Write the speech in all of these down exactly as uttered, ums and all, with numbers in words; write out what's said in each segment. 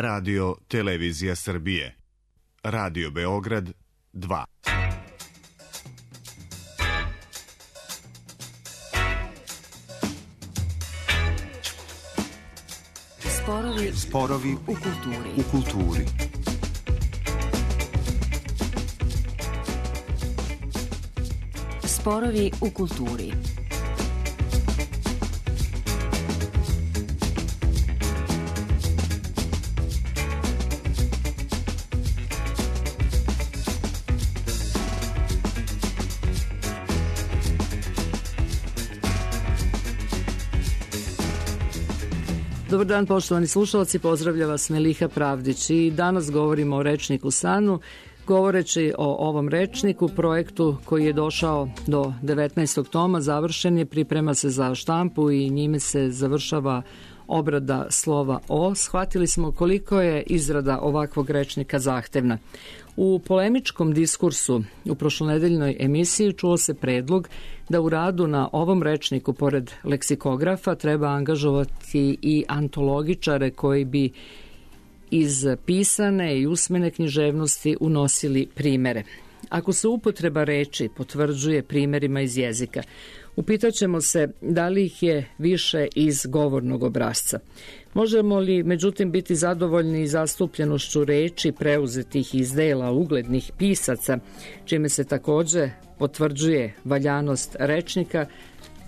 Radio Televizija Srbije. Radio Beograd dva. Sporovi, Sporovi u kulturi. U kulturi. Sporovi u kulturi. Dobar dan, poštovani slušalci, pozdravlja vas Meliha Pravdić i danas govorimo o rečniku Sanu. Govoreći o ovom rečniku, projektu koji je došao do devetnaestog toma, završen je, priprema se za štampu i njime se završava obrada slova O. Shvatili smo koliko je izrada ovakvog rečnika zahtevna. U polemičkom diskursu u prošlonedeljnoj emisiji čuo se predlog da u radu na ovom rečniku, pored leksikografa, treba angažovati i antologičare koji bi iz pisane i usmene književnosti unosili primere. Ako se upotreba reči potvrđuje primerima iz jezika, upitaćemo se da li ih je više iz govornog obrasca. Možemo li, međutim, biti zadovoljni zastupljenošću reči preuzetih iz dela uglednih pisaca, čime se takođe potvrđuje valjanost rečnika?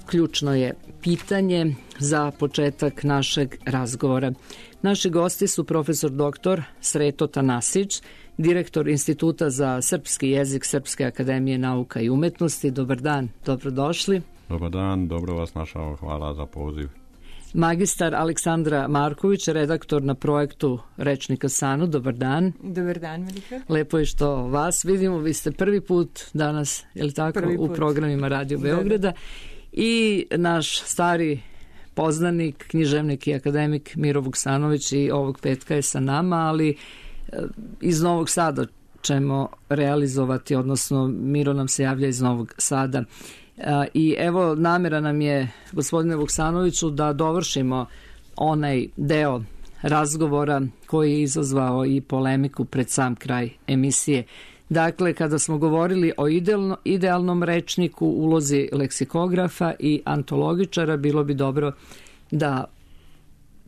Ključno je pitanje za početak našeg razgovora. Naši gosti su profesor doktor Sreto Tanasić, direktor Instituta za srpski jezik Srpske akademije nauka i umetnosti. Dobar dan, dobrodošli. Dobar dan, dobro vas našao, hvala za poziv. Magistar Aleksandra Marković, redaktor na projektu Rečnika Sanu. Dobar dan. Dobar dan, Melika. Lepo je što vas vidimo, vi ste prvi put danas, je li tako, u programima Radio Beograda. Da. I naš stari poznanik, književnik i akademik Miro Vuksanović i ovog petka je sa nama, ali iz Novog Sada ćemo realizovati, odnosno Miro nam se javlja iz Novog Sada. I evo, namera nam je, gospodine Vuksanoviću, da dovršimo onaj deo razgovora koji je izazvao i polemiku pred sam kraj emisije. Dakle, kada smo govorili o idealno, idealnom rečniku, ulozi leksikografa i antologičara, bilo bi dobro da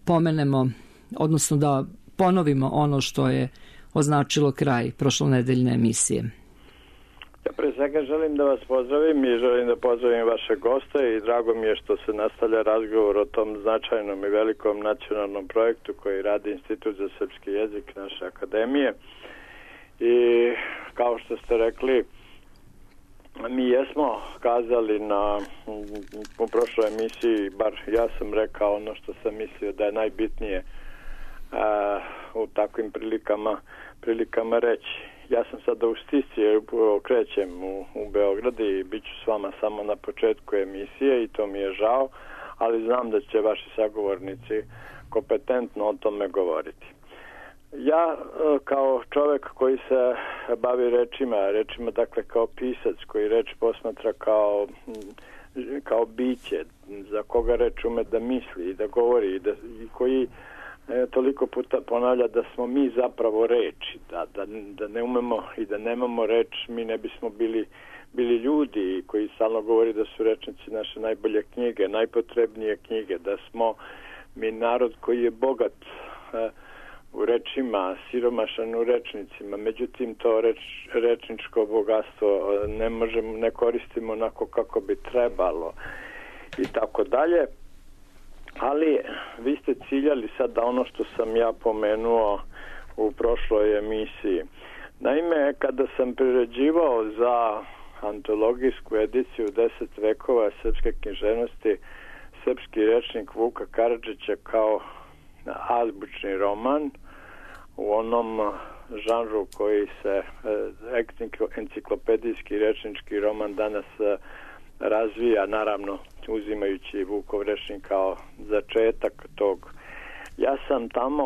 pomenemo, odnosno da ponovimo ono što je označilo kraj prošlonedeljne emisije. Ja pre svega želim da vas pozdravim i želim da pozdravim vaše goste i drago mi je što se nastavlja razgovor o tom značajnom i velikom nacionalnom projektu koji radi Institut za srpski jezik naše akademije. I kao što ste rekli, mi jesmo kazali na, u prošloj emisiji, bar ja sam rekao ono što sam mislio da je najbitnije a, u takvim prilikama, prilikama reći. Ja sam sada u stisci, krećem u, u Beograd i bit ću s vama samo na početku emisije i to mi je žao, ali znam da će vaši sagovornici kompetentno o tome govoriti. Ja kao čovek koji se bavi rečima, rečima dakle kao pisac koji reč posmatra kao, kao biće, za koga reč ume da misli i da govori i, da, i koji e, toliko puta ponavlja da smo mi zapravo reči, da, da, da ne umemo i da nemamo reč, mi ne bismo bili, bili ljudi koji stalno govori da su rečnici naše najbolje knjige, najpotrebnije knjige, da smo mi narod koji je bogat e, u rečima, siromašan u rečnicima, međutim to reč, rečničko bogatstvo ne možemo, ne koristimo onako kako bi trebalo i tako dalje, ali vi ste ciljali sad da ono što sam ja pomenuo u prošloj emisiji. Naime, kada sam priređivao za antologijsku ediciju deset vekova srpske književnosti srpski rečnik Vuka Karadžića kao azbučni roman u onom žanru koji se enciklopedijski rečnički roman danas razvija, naravno uzimajući Vukov rečnik kao začetak tog. Ja sam tamo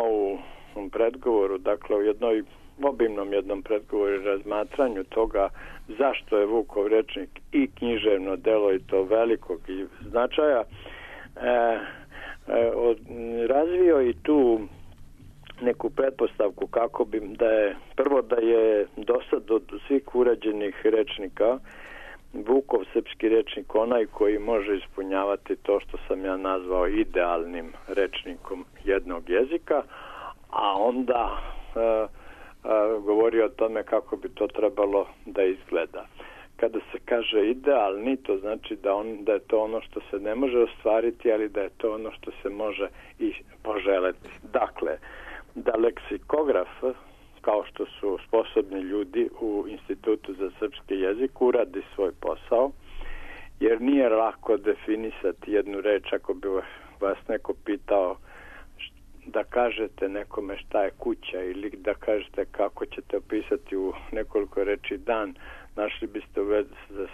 u predgovoru, dakle u jednoj obimnom jednom predgovoru i razmatranju toga zašto je Vukov rečnik i književno delo i to velikog i značaja, e, e, od, razvio i tu neku pretpostavku kako bi da je prvo da je dosad od svih urađenih rečnika Vukov srpski rečnik onaj koji može ispunjavati to što sam ja nazvao idealnim rečnikom jednog jezika, a onda e, e, govori o tome kako bi to trebalo da izgleda. Kada se kaže idealni, to znači da, on, da je to ono što se ne može ostvariti, ali da je to ono što se može i poželeti. Dakle, da leksikograf, kao što su sposobni ljudi u Institutu za srpski jezik, uradi svoj posao, jer nije lako definisati jednu reč. Ako bi vas neko pitao da kažete nekome šta je kuća ili da kažete kako ćete opisati u nekoliko reči dan, našli biste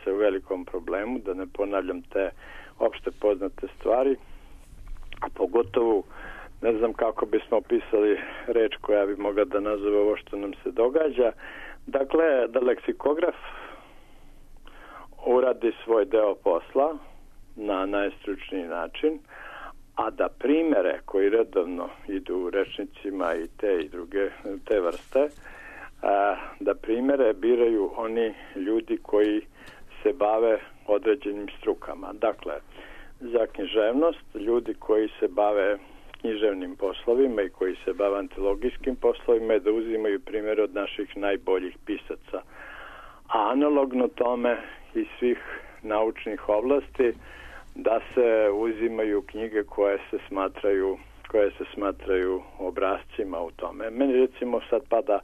se u velikom problemu, da ne ponavljam te opšte poznate stvari, a pogotovo ne znam kako bismo opisali reč koja bi mogla da nazove ovo što nam se događa. Dakle, da leksikograf uradi svoj deo posla na najstručniji način, a da primere koji redovno idu u rečnicima i te i druge te vrste, a, da primere biraju oni ljudi koji se bave određenim strukama. Dakle, za književnost ljudi koji se bave književnim poslovima i koji se bave antologijskim poslovima je da uzimaju primjere od naših najboljih pisaca. A analogno tome iz svih naučnih oblasti da se uzimaju knjige koje se smatraju koje se smatraju obrascima u tome. Meni recimo sad pada,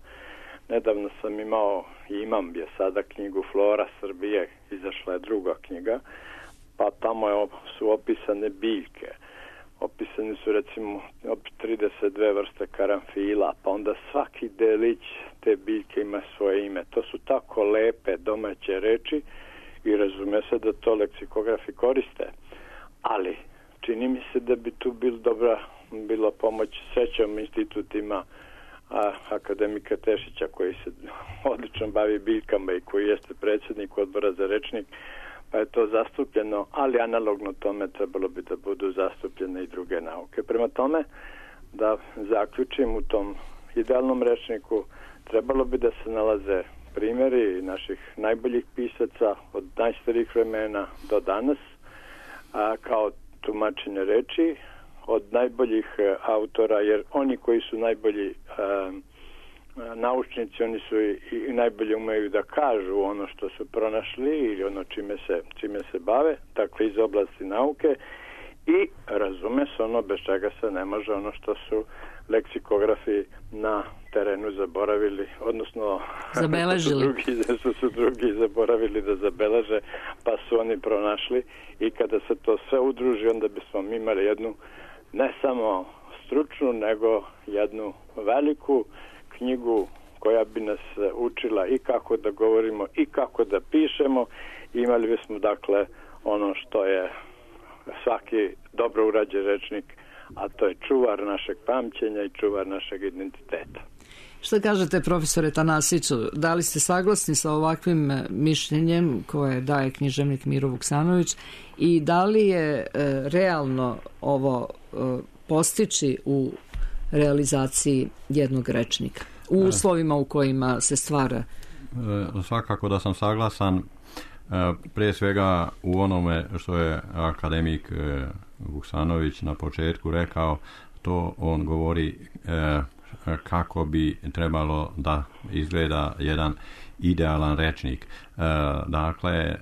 nedavno sam imao i imam je sada knjigu Flora Srbije, izašla je druga knjiga, pa tamo je, su opisane biljke. Opisani su recimo trideset dve vrste karanfila, pa onda svaki delić te biljke ima svoje ime. To su tako lepe domaće reči i razume se da to leksikografi koriste. Ali čini mi se da bi tu bil dobra bila pomoć srećom institutima a, akademika Tešića koji se odlično bavi biljkama i koji jeste predsjednik odbora za rečnik, pa je to zastupljeno, ali analogno tome trebalo bi da budu zastupljene i druge nauke. Prema tome, da zaključim, u tom idealnom rečniku trebalo bi da se nalaze primjeri naših najboljih pisaca od najstarijih vremena do danas, a, kao tumačenje reči, od najboljih autora, jer oni koji su najbolji a, naučnici, oni su i, i najbolje umeju da kažu ono što su pronašli ili ono čime se, čime se bave, dakle iz oblasti nauke, i razume se ono bez čega se ne može, ono što su leksikografi na terenu zaboravili, odnosno zabeležili. Drugi, su, su drugi zaboravili da zabeleže, pa su oni pronašli, i kada se to sve udruži, onda bismo mi imali jednu ne samo stručnu, nego jednu veliku knjigu koja bi nas učila i kako da govorimo i kako da pišemo. Imali bismo dakle ono što je svaki dobro urađen rečnik, a to je čuvar našeg pamćenja i čuvar našeg identiteta. Šta kažete, profesore Tanasiću, da li ste saglasni sa ovakvim mišljenjem koje daje književnik Miro Vuksanović i da li je e, realno ovo e, postići u realizaciji jednog rečnika u uslovima u kojima se stvara? E, svakako da sam saglasan, e, prije svega u onome što je akademik e, Vuksanović na početku rekao, to on govori e, kako bi trebalo da izgleda jedan idealan rečnik. E, dakle, e,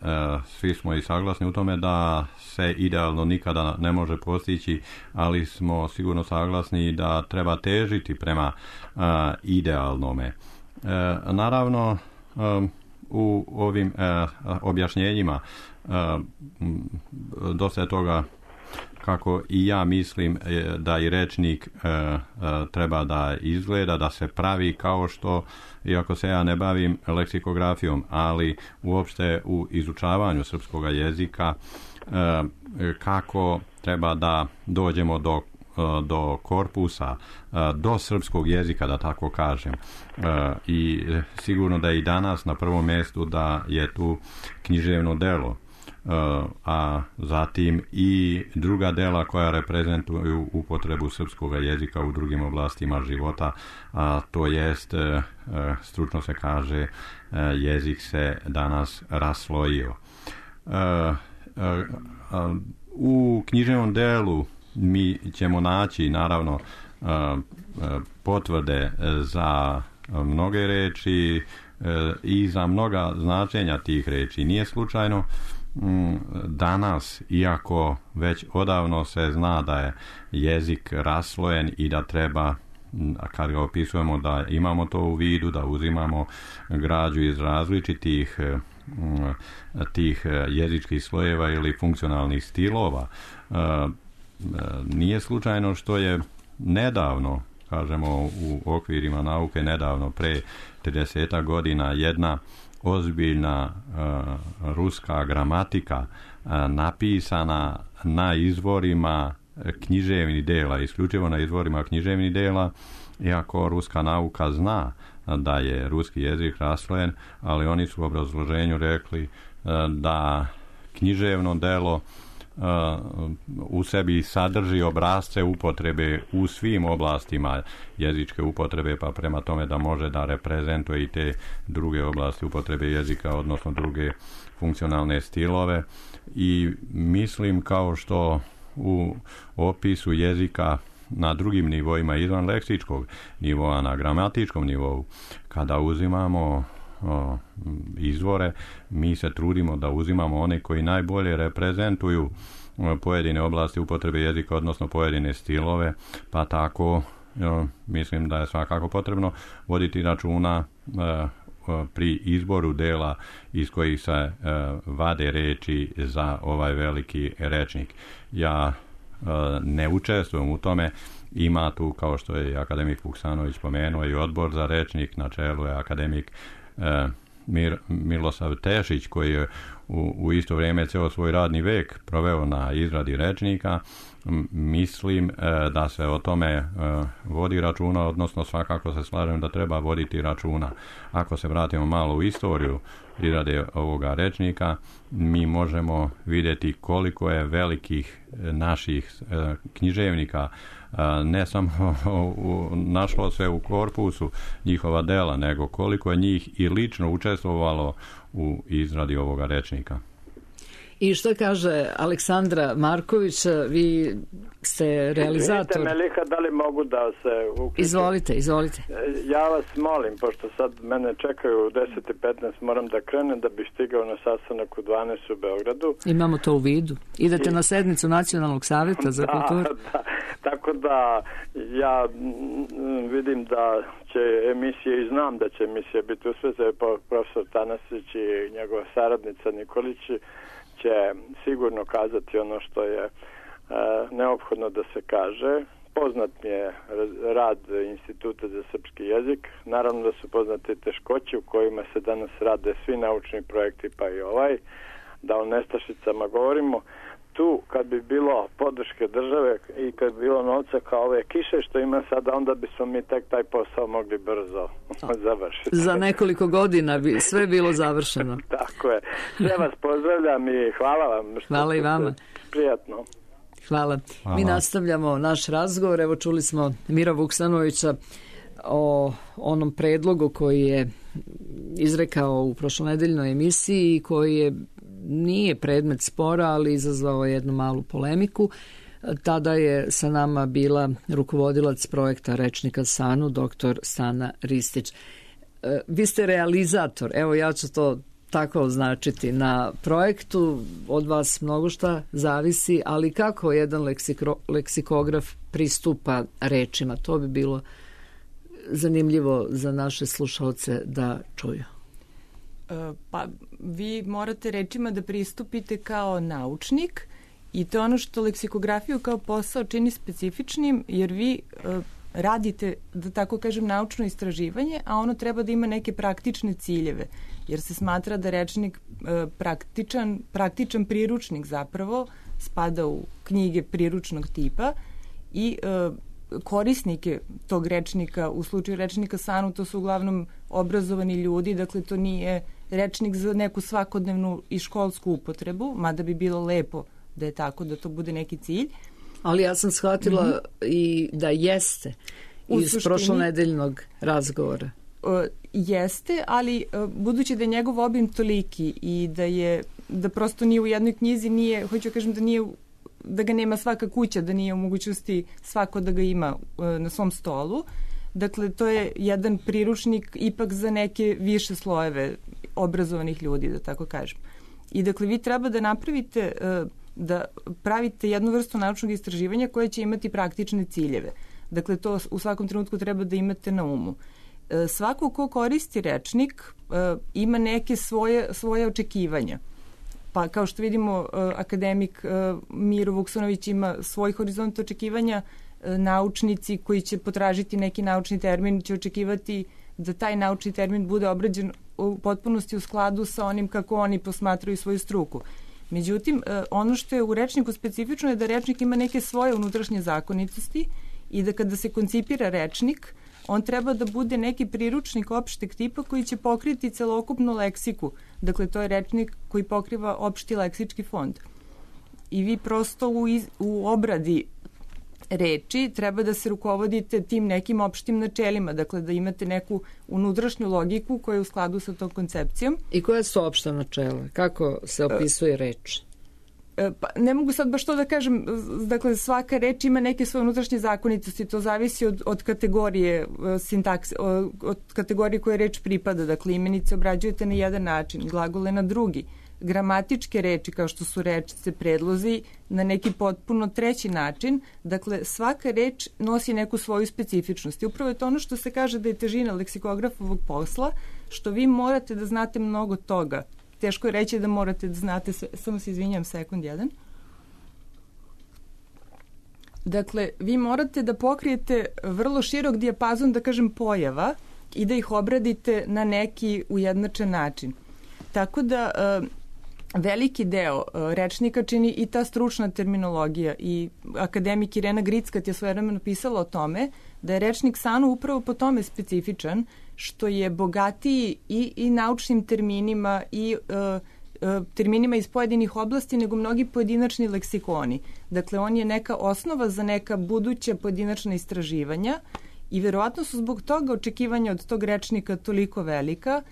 svi smo i saglasni u tome da se idealno nikada ne može postići, ali smo sigurno saglasni da treba težiti prema e, idealnome. E, naravno, e, u ovim e, objašnjenjima e, dosta je toga kako i ja mislim da i rečnik e, e, treba da izgleda, da se pravi kao što, iako se ja ne bavim leksikografijom, ali uopšte u izučavanju srpskog jezika, e, kako treba da dođemo do, do korpusa, do srpskog jezika, da tako kažem. E, I sigurno da je i danas na prvom mjestu da je tu književno delo. a zatim i druga dela koja reprezentuju upotrebu srpskog jezika u drugim oblastima života, a to jest, stručno se kaže, jezik se danas raslojio. U književnom delu mi ćemo naći naravno potvrde za mnoge reči i za mnoga značenja tih reči. Nije slučajno danas, iako već odavno se zna da je jezik raslojen i da treba, kad ga opisujemo, da imamo to u vidu, da uzimamo građu iz različitih tih jezičkih slojeva ili funkcionalnih stilova. Nije slučajno što je nedavno, kažemo u okvirima nauke nedavno, pre trideset godina, jedna ozbiljna uh, ruska gramatika uh, napisana na izvorima književnih dela, isključivo na izvorima književnih dela, iako ruska nauka zna da je ruski jezik raslojen, ali oni su u obrazloženju rekli uh, da književno delo Uh, u sebi sadrži obrasce upotrebe u svim oblastima jezičke upotrebe, pa prema tome da može da reprezentuje i te druge oblasti upotrebe jezika, odnosno druge funkcionalne stilove. I mislim, kao što u opisu jezika na drugim nivoima izvan leksičkog nivoa, na gramatičkom nivou, kada uzimamo o, izvore, mi se trudimo da uzimamo one koji najbolje reprezentuju pojedine oblasti upotrebe jezika, odnosno pojedine stilove, pa tako o, mislim da je svakako potrebno voditi računa o, o, pri izboru dela iz kojih se o, vade reči za ovaj veliki rečnik. Ja o, ne učestvujem u tome. Ima tu, kao što je akademik Vuksanović spomenuo, i odbor za rečnik, na čelu je akademik e, Mir, Milosav Tešić, koji je u, u isto vrijeme ceo svoj radni vek proveo na izradi rečnika. Mislim e, da se o tome e, vodi računa, odnosno svakako se slažem da treba voditi računa. Ako se vratimo malo u istoriju izrade ovoga rečnika, mi možemo vidjeti koliko je velikih naših e, književnika ne samo našlo se u korpusu njihova dela, nego koliko je njih i lično učestvovalo u izradi ovoga rečnika. I što kaže Aleksandra Marković, vi ste realizator. Vidite, Meliha, da li mogu da se uključim? Izvolite, izvolite. Ja vas molim, pošto sad mene čekaju u deset i petnaest, moram da krenem da bi stigao na sastanak u dvanaest u Beogradu. Imamo to u vidu. Idete I... na sednicu Nacionalnog savjeta za da, kulturu. Da, tako da ja vidim da će emisije, i znam da će emisija biti uspješna, profesor Tanasić i njegova saradnica Nikolić će sigurno kazati ono što je e, neophodno da se kaže. Poznat mi je rad Instituta za srpski jezik. Naravno da su poznate teškoće u kojima se danas rade svi naučni projekti, pa i ovaj. Da o nestašicama govorimo. Tu, kad bi bilo podrške države i kad bi bilo novca kao ove kiše što ima sada, onda bismo mi tek taj posao mogli brzo završiti. Za nekoliko godina bi sve bilo završeno. Tako je. Sve vas pozdravljam i hvala vam. Što hvala i vama. Prijatno. Hvala. Hvala. Mi nastavljamo naš razgovor. Evo, čuli smo Mira Vuksanovića o onom predlogu koji je izrekao u prošlonedeljnoj emisiji i koji je nije predmet spora, ali izazvao jednu malu polemiku. Tada je sa nama bila rukovodilac projekta Rečnika Sanu, doktor Sana Ristić. Vi ste realizator, evo ja ću to tako označiti, na projektu. Od vas mnogo šta zavisi, ali kako jedan leksiko, leksikograf pristupa rečima? To bi bilo zanimljivo za naše slušalce da čuju. Pa vi morate rečima da pristupite kao naučnik i to je ono što leksikografiju kao posao čini specifičnim, jer vi uh, radite, da tako kažem, naučno istraživanje, a ono treba da ima neke praktične ciljeve, jer se smatra da rečnik uh, praktičan, praktičan priručnik zapravo spada u knjige priručnog tipa i uh, korisnike tog rečnika, u slučaju rečnika SANU, to su uglavnom obrazovani ljudi, dakle to nije rečnik za neku svakodnevnu i školsku upotrebu, mada bi bilo lepo da je tako, da to bude neki cilj. Ali ja sam shvatila mm-hmm. i da jeste u iz prošlonedeljnog razgovora. Uh, jeste, ali uh, budući da je njegov obim toliki i da je, da prosto nije u jednoj knjizi, nije, hoću kažem da nije, da ga nema svaka kuća, da nije u mogućnosti svako da ga ima uh, na svom stolu. Dakle, to je jedan priručnik ipak za neke više slojeve obrazovanih ljudi, da tako kažem. I dakle, vi treba da napravite, uh, da pravite jednu vrstu naučnog istraživanja koje će imati praktične ciljeve. Dakle, to u svakom trenutku treba da imate na umu. Svako ko koristi rečnik ima neke svoje, svoje očekivanja. Pa kao što vidimo, akademik Miro Vuksanović ima svoj horizont očekivanja, naučnici koji će potražiti neki naučni termin će očekivati da taj naučni termin bude obrađen u potpunosti u skladu sa onim kako oni posmatraju svoju struku. Međutim, ono što je u rečniku specifično je da rečnik ima neke svoje unutrašnje zakonitosti i da kada se koncipira rečnik, on treba da bude neki priručnik opšteg tipa koji će pokriti celokupnu leksiku. Dakle, to je rečnik koji pokriva opšti leksički fond. I vi prosto u, iz, u obradi reči treba da se rukovodite tim nekim opštim načelima, dakle da imate neku unutrašnju logiku koja je u skladu sa tom koncepcijom. I koja su opšta načela? Kako se opisuje reč? Pa, ne mogu sad baš to da kažem, dakle svaka reč ima neke svoje unutrašnje zakonitosti, to zavisi od, od kategorije sintakse, od kategorije koje reč pripada, dakle imenice obrađujete na jedan način, glagole na drugi, gramatičke reči kao što su rečice, predlozi na neki potpuno treći način, dakle svaka reč nosi neku svoju specifičnost i upravo je to ono što se kaže da je težina leksikografovog posla, što vi morate da znate mnogo toga. Teško je reći da morate da znate sve. Samo se izvinjam, sekund jedan. Dakle, vi morate da pokrijete vrlo širok dijapazon, da kažem, pojava i da ih obradite na neki ujednačen način. Tako da veliki deo rečnika čini i ta stručna terminologija i akademik Irena Grickat je svojevremeno pisala o tome da je rečnik SANU upravo po tome specifičan što je bogatiji i, i naučnim terminima i uh, uh, terminima iz pojedinih oblasti nego mnogi pojedinačni leksikoni. Dakle, on je neka osnova za neka buduća pojedinačna istraživanja i verovatno su zbog toga očekivanja od tog rečnika toliko velika.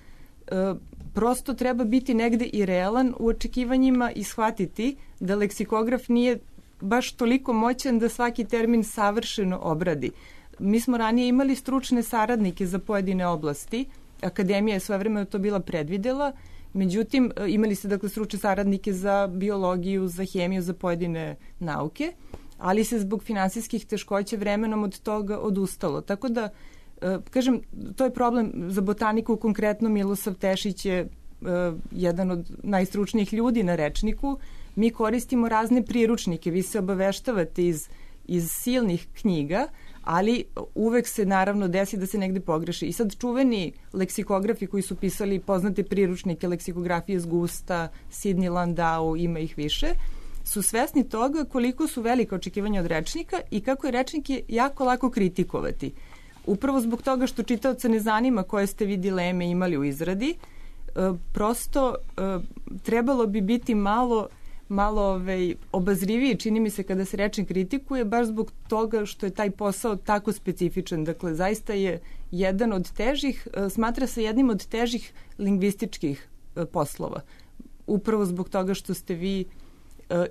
Uh, prosto treba biti negde i realan u očekivanjima i shvatiti da leksikograf nije baš toliko moćan da svaki termin savršeno obradi. Mi smo ranije imali stručne saradnike za pojedine oblasti. Akademija je svojevremeno to bila predvidela. Međutim, imali ste dakle stručne saradnike za biologiju, za hemiju, za pojedine nauke, ali se zbog finansijskih teškoća vremenom od toga odustalo. Tako da, kažem, to je problem za botaniku. Konkretno Milosav Tešić je jedan od najstručnijih ljudi na rečniku. Mi koristimo razne priručnike. Vi se obaveštavate iz, iz silnih knjiga, ali uvek se naravno desi da se negde pogreši. I sad čuveni leksikografi koji su pisali poznate priručnike leksikografije z Gusta, Sidney Landau, ima ih više, su svesni toga koliko su velika očekivanja od rečnika i kako je rečnik je jako lako kritikovati. Upravo zbog toga što čitaoca ne zanima koje ste vi dileme imali u izradi, prosto trebalo bi biti malo malo ovaj, obazriviji, čini mi se, kada se rečnik kritikuje, baš zbog toga što je taj posao tako specifičan. Dakle, zaista je jedan od težih, smatra se jednim od težih lingvističkih poslova. Upravo zbog toga što ste vi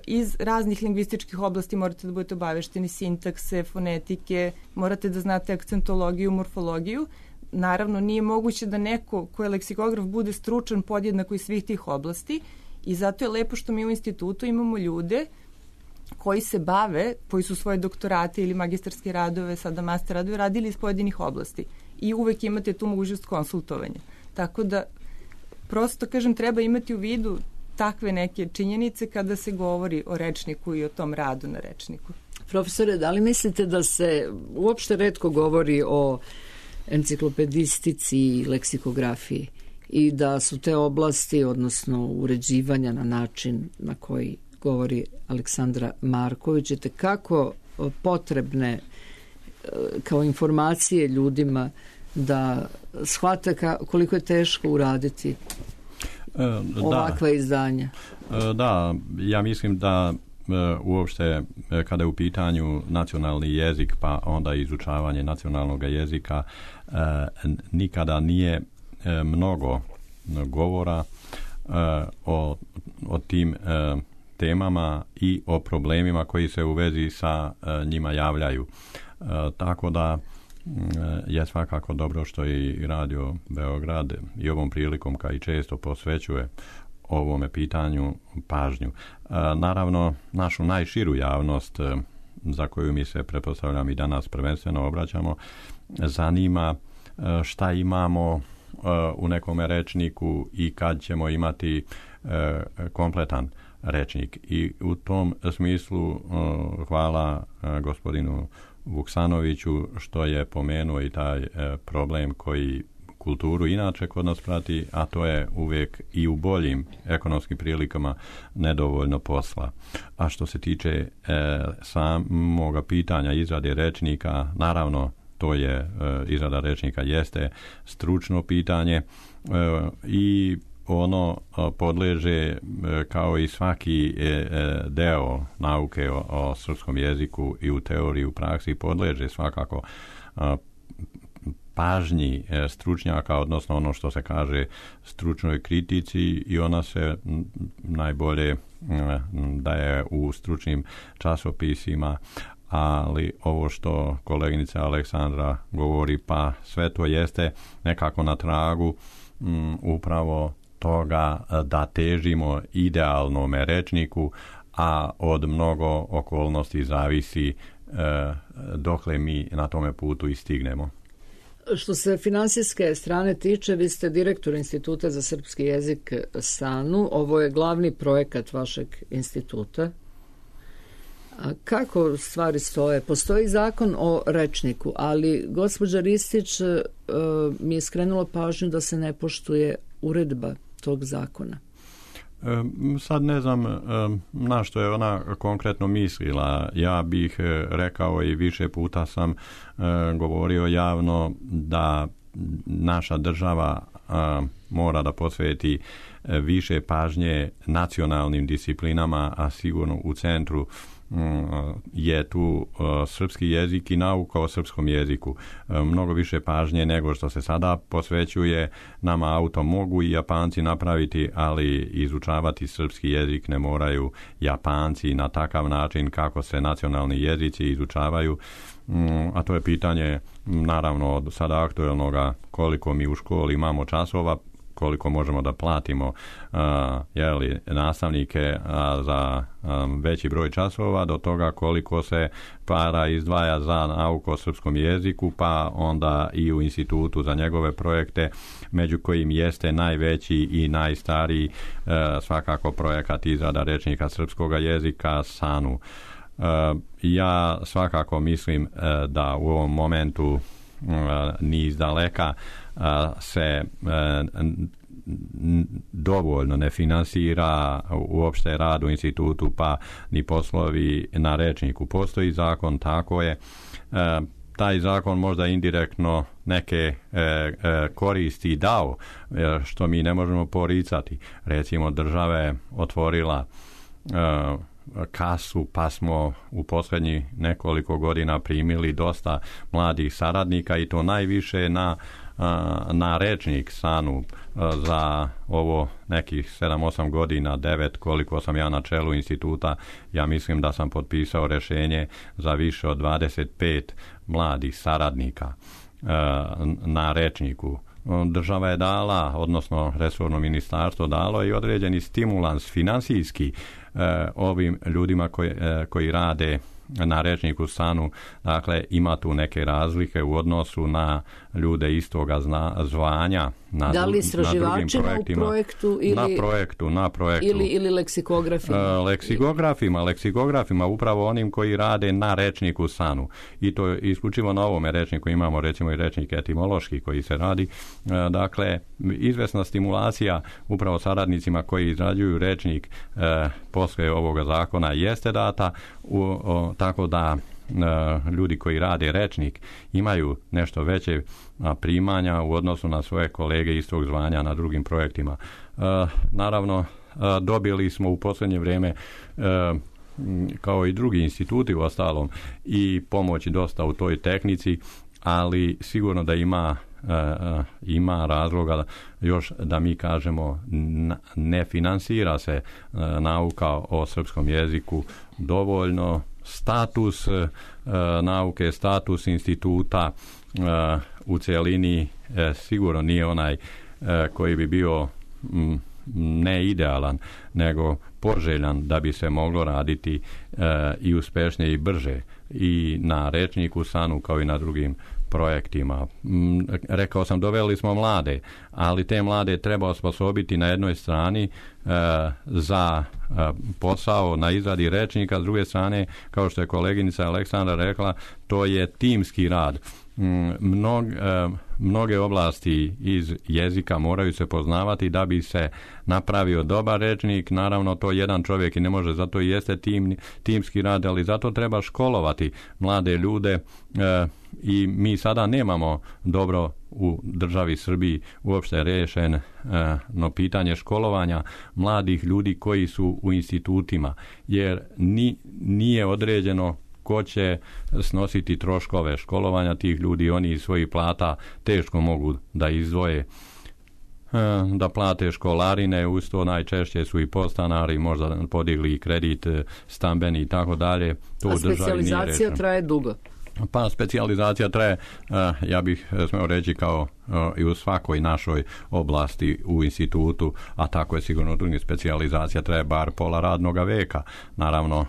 iz raznih lingvističkih oblasti morate da budete obavešteni sintakse, fonetike, morate da znate akcentologiju, morfologiju. Naravno, nije moguće da neko ko je leksikograf bude stručan podjednako iz svih tih oblasti. I zato je lepo što mi u institutu imamo ljude koji se bave, koji su svoje doktorate ili magistarske radove, sada master radove, radili iz pojedinih oblasti. I uvek imate tu mogućnost konsultovanja. Tako da, prosto, kažem, treba imati u vidu takve neke činjenice kada se govori o rečniku i o tom radu na rečniku. Profesore, da li mislite da se uopšte retko govori o enciklopedistici i leksikografiji? I da su te oblasti, odnosno uređivanja na način na koji govori Aleksandra Marković, kako potrebne kao informacije ljudima da shvate ka, koliko je teško uraditi e, ovakva da. izdanja? E, da, ja mislim da e, uopšte kada je u pitanju nacionalni jezik pa onda izučavanje nacionalnog jezika e, nikada nije e, mnogo govora e, o, o tim e, temama i o problemima koji se u vezi sa e, njima javljaju. E, tako da je svakako dobro što i Radio Beograd i ovom prilikom kao i često posvećuje ovome pitanju pažnju. E, naravno, našu najširu javnost e, za koju mi se, pretpostavljam, i danas prvenstveno obraćamo, zanima e, šta imamo e, u nekome rečniku i kad ćemo imati e, kompletan rečnik. I u tom smislu e, hvala e, gospodinu Vuksanoviću što je pomenuo i taj e, problem koji kulturu inače kod nas prati, a to je uvijek i u boljim ekonomskim prilikama nedovoljno posla. A što se tiče e, samoga pitanja izrade rečnika, naravno to je e, izrada rečnika jeste stručno pitanje e, i ono podleže kao i svaki deo nauke o, o srpskom jeziku i u teoriji i u praksi podleže svakako pažnji stručnjaka, odnosno ono što se kaže stručnoj kritici i ona se najbolje daje u stručnim časopisima, ali ovo što koleginica Aleksandra govori, pa sve to jeste nekako na tragu um, upravo toga da težimo idealnome rečniku, a od mnogo okolnosti zavisi e, dokle mi na tome putu i stignemo. Što se finansijske strane tiče, vi ste direktor Instituta za srpski jezik SANU. Ovo je glavni projekat vašeg instituta. A kako stvari stoje? Postoji zakon o rečniku, ali gospođa Ristić e, mi je skrenula pažnju da se ne poštuje uredba tog zakona. E, sad ne znam e, na što je ona konkretno mislila. Ja bih e, rekao i više puta sam e, govorio javno da naša država e, mora da posveti e, više pažnje nacionalnim disciplinama, a sigurno u centru je tu uh, srpski jezik i nauka o srpskom jeziku. Uh, mnogo više pažnje nego što se sada posvećuje. Nama auto mogu i Japanci napraviti, ali izučavati srpski jezik ne moraju Japanci na takav način kako se nacionalni jezici izučavaju. Um, a to je pitanje naravno od sada aktuelnoga koliko mi u školi imamo časova, koliko možemo da platimo uh, jeli, nastavnike uh, za um, veći broj časova, do toga koliko se para izdvaja za nauku o srpskom jeziku, pa onda i u institutu za njegove projekte, među kojim jeste najveći i najstariji uh, svakako projekat izrada rečnika srpskog jezika SANU. Uh, ja svakako mislim uh, da u ovom momentu uh, ni iz daleka uh, se uh, dovoljno ne finansira uopšte rad u institutu, pa ni poslovi na rečniku. Postoji zakon, tako je. Uh, taj zakon možda indirektno neke e, e, koristi dao, e, što mi ne možemo poricati. Recimo, država je otvorila e, kasu, pa smo u posljednjih nekoliko godina primili dosta mladih saradnika i to najviše na, na rečnik SANU za ovo nekih sedam osam godina, devet koliko sam ja na čelu instituta. Ja mislim da sam potpisao rješenje za više od dvadeset pet mladih saradnika na rečniku. Država je dala, odnosno resorno ministarstvo dalo i određeni stimulans finansijski eh, ovim ljudima koji, eh, koji rade na rečniku SANU. Dakle, ima tu neke razlike u odnosu na ljude istoga zna, zvanja na, da li na drugim projektima. U projektu ili, na projektu, na projektu. Ili, ili leksikografima? E, leksikografima, leksikografima, upravo onim koji rade na rečniku SANU. I to isključivo na ovome rečniku imamo recimo i rečnik etimološki koji se radi. E, dakle, izvesna stimulacija upravo saradnicima koji izrađuju rečnik e, posle ovoga zakona jeste data, u, o, tako da ljudi koji rade rečnik imaju nešto veće primanja u odnosu na svoje kolege istog zvanja na drugim projektima. Naravno, dobili smo u posljednje vrijeme kao i drugi instituti u ostalom i pomoći dosta u toj tehnici, ali sigurno da ima ima razloga još da mi kažemo ne finansira se nauka o srpskom jeziku dovoljno. Status nauke, status instituta u cjelini sigurno nije onaj koji bi bio ne idealan, nego poželjan da bi se moglo raditi i uspešnije i brže i na rečniku Sanu kao i na drugim projektima. Rekao sam, doveli smo mlade, ali te mlade treba osposobiti na jednoj strani e, za e, posao na izradi rečnika, s druge strane, kao što je koleginica Aleksandra rekla, to je timski rad. Mnog, e, mnoge oblasti iz jezika moraju se poznavati da bi se napravio dobar rečnik. Naravno, to jedan čovjek i ne može, zato i jeste tim, timski rad, ali zato treba školovati mlade ljude e, i mi sada nemamo dobro u državi Srbiji uopšte rešen e, no pitanje školovanja mladih ljudi koji su u institutima, jer ni, nije određeno ko će snositi troškove školovanja tih ljudi. Oni iz svojih plata teško mogu da izdvoje da plate školarine, uz to najčešće su i podstanari, možda podigli i kredit stambeni i tako dalje. A specijalizacija traje dugo? Pa specijalizacija traje, ja bih smeo reći, kao i u svakoj našoj oblasti u institutu, a tako je sigurno drugim, specijalizacija traje bar pola radnoga veka. Naravno,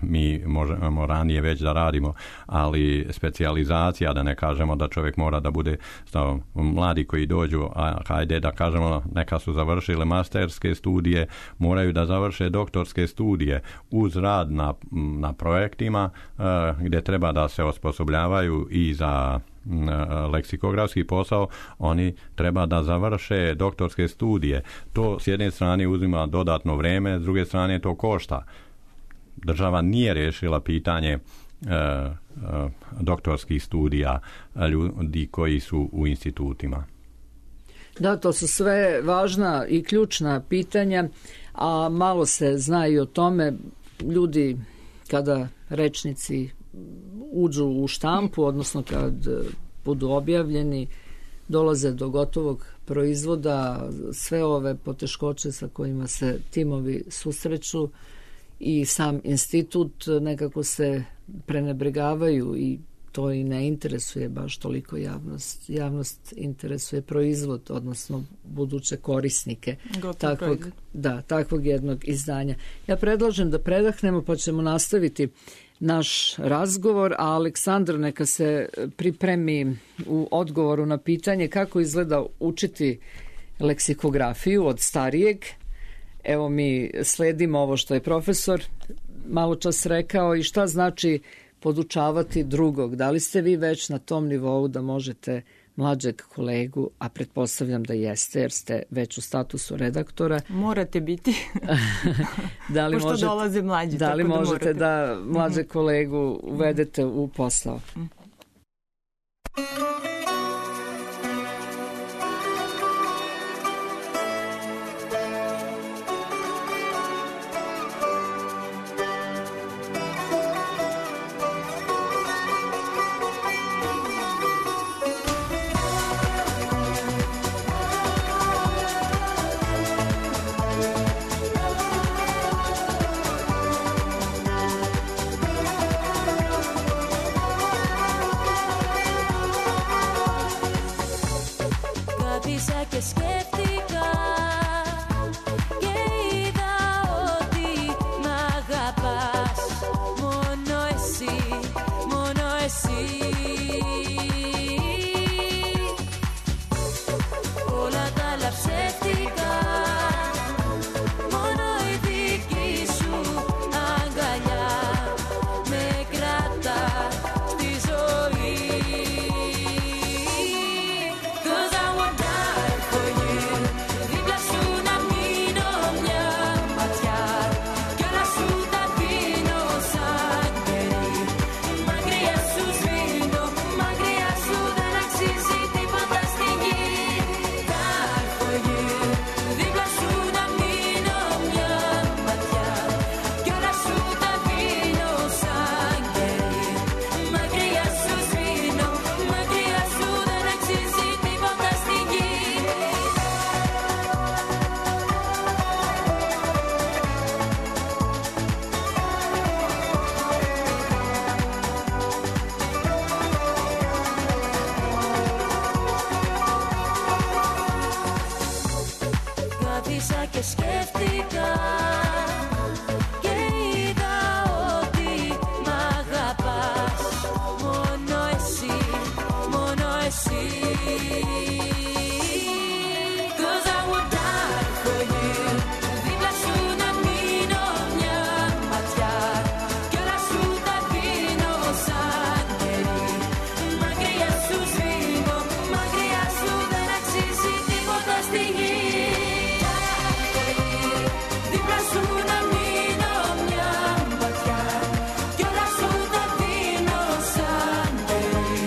mi možemo ranije već da radimo, ali specijalizacija, da ne kažemo da čovjek mora da bude stav, mladi koji dođu, a hajde da kažemo neka su završile masterske studije, moraju da završe doktorske studije uz rad na, na projektima gdje treba da se osposobljavaju i za leksikografski posao, oni treba da završe doktorske studije. To s jedne strane uzima dodatno vrijeme, s druge strane to košta. Država nije riješila pitanje e, e, doktorskih studija ljudi koji su u institutima. Da, to su sve važna i ključna pitanja, a malo se zna i o tome. Ljudi, kada rečnici uđu u štampu, odnosno kad budu objavljeni, dolaze do gotovog proizvoda, sve ove poteškoće sa kojima se timovi susreću i sam institut nekako se prenebregavaju i to i ne interesuje baš toliko javnost. Javnost interesuje proizvod, odnosno buduće korisnike takvog, da, takvog jednog izdanja. Ja predlažem da predahnemo pa ćemo nastaviti naš razgovor, a Aleksandar neka se pripremi u odgovoru na pitanje kako izgleda učiti leksikografiju od starijeg. Evo mi sledimo ovo što je profesor malo čas rekao i šta znači podučavati drugog. Da li ste vi već na tom nivou da možete mlađeg kolegu, a pretpostavljam da jeste jer ste već u statusu redaktora. Morate biti. Da li pošto možete, dolaze mlađi. Da li tako možete da, da mlađeg kolegu uvedete u posao? Cause I would die for you. Κάθισα και σκέφτηκα και είδα ότι μ' αγαπάς. Μόνο εσύ, μόνο εσύ. Cause I would die for you. Δίπλα σου να μείνω μια ματιά κι όλα σου τα δίνω σαν κερί. Μακριά σου σβήνω, μακριά σου δεν αξίζει τίποτα στη γη. Δίπλα σου να μείνω μια ματιά κι όλα σου τα δίνω σαν κερί.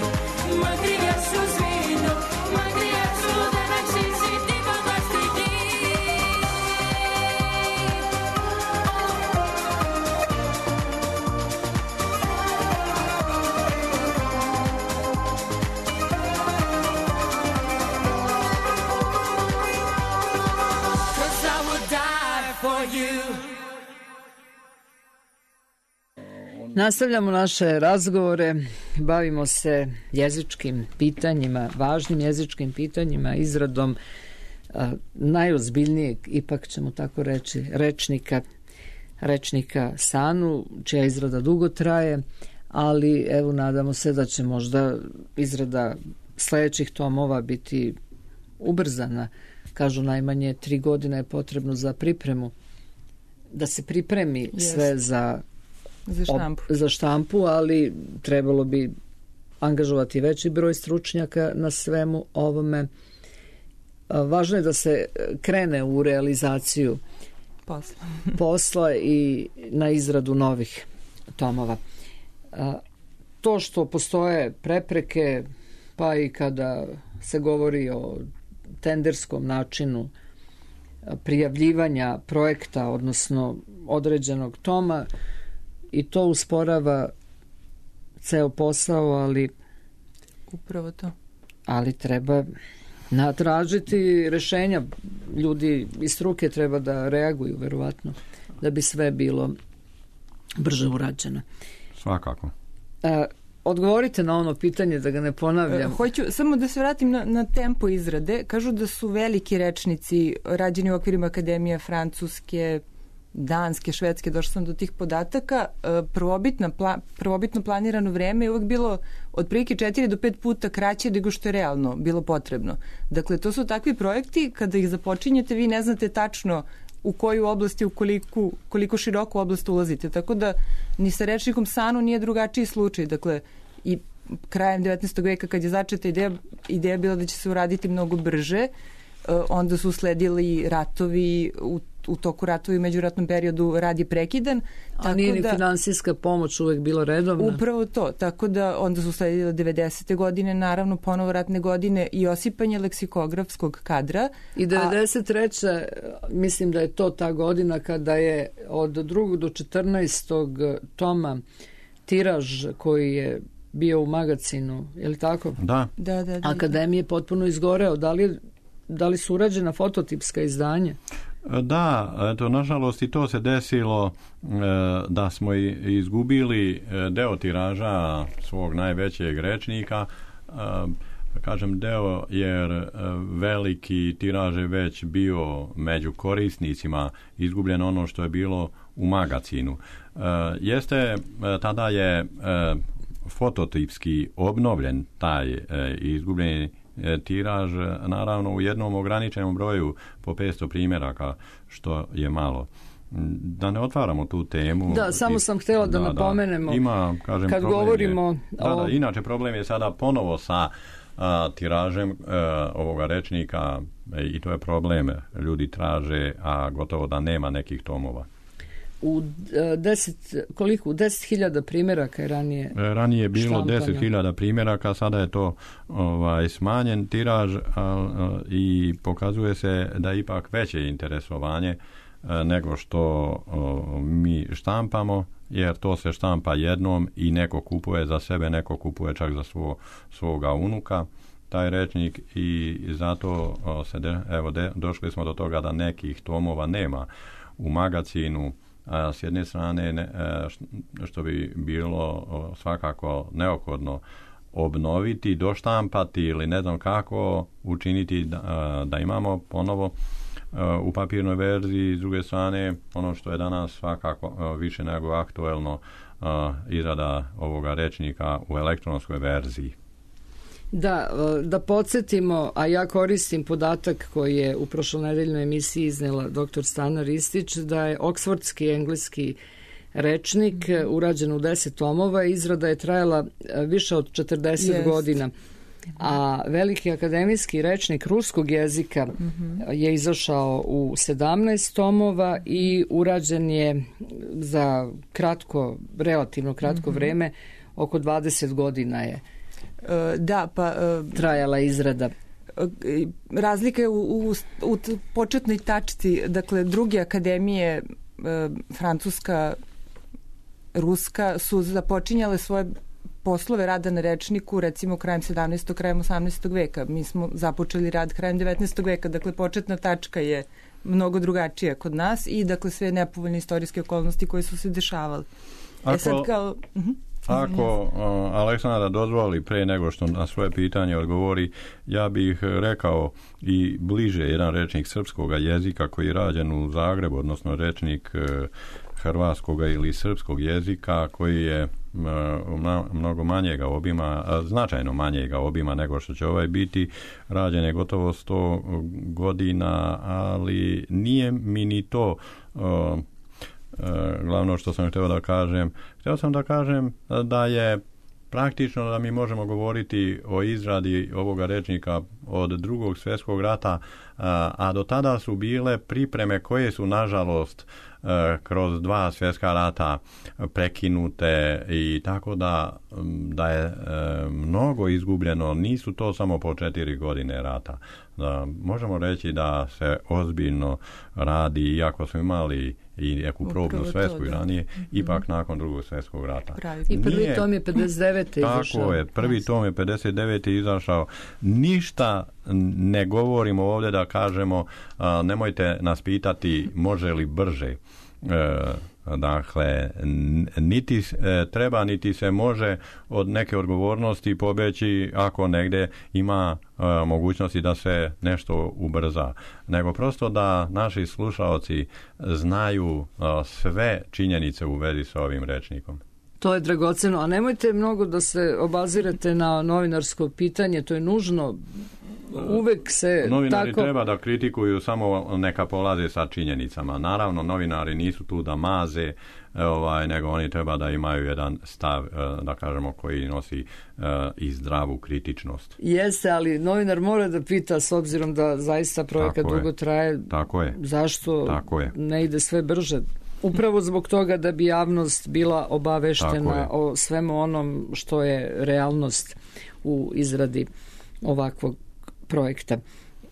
Μακριά σου σβήνω, μακριά σου δεν αξίζει τίποτα στη γη. Cause I would die for you. Nastavljamo naše razgovore, bavimo se jezičkim pitanjima, važnim jezičkim pitanjima, izradom a, najozbiljnijeg, ipak ćemo tako reći, rečnika, rečnika Sanu, čija izrada dugo traje, ali evo nadamo se da će možda izrada sledećih tomova biti ubrzana. Kažu najmanje tri godine je potrebno za pripremu, da se pripremi Jest. sve za Za štampu. Ob, za štampu, ali trebalo bi angažovati veći broj stručnjaka na svemu ovome. A, važno je da se krene u realizaciju Posla. posla i na izradu novih tomova. A, to što postoje prepreke, pa i kada se govori o tenderskom načinu prijavljivanja projekta, odnosno određenog toma, i to usporava ceo posao, ali Upravo to. ali treba natražiti rešenja. Ljudi iz struke treba da reaguju, verovatno, da bi sve bilo brže urađeno. Svakako. E, odgovorite na ono pitanje, da ga ne ponavljam. E, hoću samo da se vratim na, na tempo izrade. Kažu da su veliki rečnici rađeni u okvirima Akademije Francuske, Danske, Švedske, došla sam do tih podataka. Prvobitno, pla, prvobitno planirano vreme je uvek bilo otprilike četiri do pet puta kraće nego što je realno bilo potrebno. Dakle, to su takvi projekti, kada ih započinjete, vi ne znate tačno u koju oblasti, u koliko, koliko široku oblast ulazite. Tako da ni sa rečnikom Sanu nije drugačiji slučaj. Dakle, i krajem devetnaestog veka kad je začeta ideja, ideja bila da će se uraditi mnogo brže, onda su sledili ratovi, u, u toku ratova i međuratnom periodu rad je prekidan. A nije ni da, finansijska pomoć uvek bila redovna? Upravo to, tako da onda su sledile devedesete godine, naravno ponovo ratne godine i osipanje leksikografskog kadra. I devedeset treća A, mislim da je to ta godina kada je od drugog do četrnaestog toma tiraž koji je bio u magazinu, je li tako? Da. Da, da, da. Akademije potpuno izgoreo. Da li, da li su urađena fototipska izdanja? Da, eto, nažalost i to se desilo e, da smo izgubili deo tiraža svog najvećeg rečnika, e, kažem deo jer veliki tiraž je već bio među korisnicima, izgubljeno ono što je bilo u magazinu. E, jeste, tada je e, fototipski obnovljen taj e, izgubljeni tiraž, naravno u jednom ograničenom broju po petsto primjeraka, što je malo. Da ne otvaramo tu temu. Da, samo sam htjela da, da napomenemo. Da, ima, kažem, kad govorimo je, da, o... da, inače problem je sada ponovo sa a, tiražem a, ovoga rečnika e, i to je problem. Ljudi traže, a gotovo da nema nekih tomova. U deset, koliko? deset hiljada primjeraka je ranije ranije je bilo deset hiljada primjeraka, sada je to ovaj, smanjen tiraž a, a, i pokazuje se da je ipak veće interesovanje a, nego što a, mi štampamo, jer to se štampa jednom i neko kupuje za sebe, neko kupuje čak za svo, svoga unuka taj rečnik i zato a, se de, evo, de, došli smo do toga da nekih tomova nema u magazinu. A s jedne strane ne, što bi bilo svakako neophodno obnoviti, doštampati ili ne znam kako učiniti da, da imamo ponovo u papirnoj verziji, s druge strane ono što je danas svakako više nego aktuelno, izrada ovoga rečnika u elektronskoj verziji. Da, da podsjetimo, a ja koristim podatak koji je u prošlonedeljnoj emisiji iznela doktor Stana Ristić, da je oksfordski engleski rečnik urađen u deset tomova, izrada je trajala više od četrdeset Jest. godina. A veliki akademijski rečnik ruskog jezika mm-hmm. je izašao u sedamnaest tomova i urađen je za kratko, relativno kratko mm-hmm. vreme, oko dvadeset godina je da, pa, trajala izrada. Razlika je u, u, u početnoj tačci, dakle druge akademije, francuska, ruska, su započinjale svoje poslove rada na rečniku recimo krajem sedamnaestog. krajem osamnaestog veka. Mi smo započeli rad krajem devetnaestog veka, dakle početna tačka je mnogo drugačija kod nas i dakle sve nepovoljne istorijske okolnosti koje su se dešavale. Ako, e sad kao... Uh-huh. Ako uh, Aleksandra dozvoli, pre nego što na svoje pitanje odgovori, ja bih rekao i bliže jedan rečnik srpskog jezika koji je rađen u Zagrebu, odnosno rečnik uh, hrvatskog ili srpskog jezika koji je uh, mnogo manjega obima, uh, značajno manjega obima nego što će ovaj biti. Rađen je gotovo sto godina, ali nije mi ni to uh, glavno što sam htio da kažem. Htio sam da kažem da je praktično da mi možemo govoriti o izradi ovoga rečnika od drugog svjetskog rata, a do tada su bile pripreme koje su nažalost kroz dva svjetska rata prekinute i tako da, da je mnogo izgubljeno. Nisu to samo po četiri godine rata. Da, možemo reći da se ozbiljno radi, iako smo imali i neku probnu svetsku i ranije, mm-hmm. ipak nakon drugog svjetskog rata. Pravi. I prvi Nije, tom je pedeset devete izašao. Tako je, prvi tom je pedeset devete izašao. Ništa ne govorimo ovdje da kažemo, a, nemojte nas pitati može li brže. E, dakle, niti e, treba, niti se može od neke odgovornosti pobeći ako negdje ima e, mogućnosti da se nešto ubrza, nego prosto da naši slušaoci znaju e, sve činjenice u vezi sa ovim rečnikom. To je dragoceno, a nemojte mnogo da se obazirate na novinarsko pitanje, to je nužno. Uvek se novinari tako... treba da kritikuju, samo neka polaze sa činjenicama. Naravno, novinari nisu tu da maze, ovaj, nego oni treba da imaju jedan stav, da kažemo, koji nosi uh, i zdravu kritičnost. Jeste, ali novinar mora da pita, s obzirom da zaista projekat tako dugo je. traje, tako je. zašto tako je. ne ide sve brže. Upravo zbog toga da bi javnost bila obaveštena o svemu onom što je realnost u izradi ovakvog projekta.